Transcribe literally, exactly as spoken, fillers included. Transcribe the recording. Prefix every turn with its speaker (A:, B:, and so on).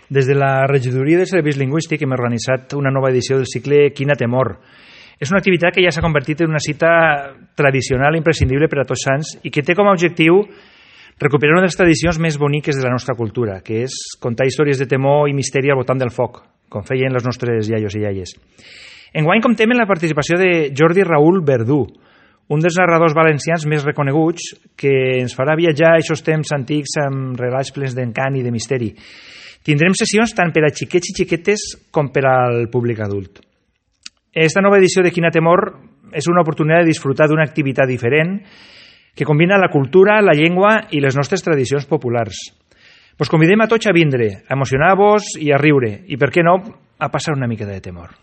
A: Des de la regidoria de serveis lingüístics hem organitzat una nova edició del cicle Quina temor. És una activitat que ja s'ha convertit en una cita tradicional i imprescindible per a tots sants i que té com a objectiu recuperar una de les tradicions més boniques de la nostra cultura, que és contar històries de temor i misteri al voltant del foc, com feien les nostres iaios i iaies. Enguany comptem amb la participació de Jordi Raül Verdú, un dels narradors valencians més reconeguts, que ens farà viatjar a aquests temps antics amb relats plens d'encant i de misteri. Tindrem sessions tant per a xiquets i xiquetes com per al públic adult. Esta nova edició de Quina temor és una oportunitat de disfrutar d'una activitat diferent que combina la cultura, la llengua i les nostres tradicions populars. Vos convidem a tots a vindre, a emocionar-vos i a riure, i per què no, a passar una mica de temor.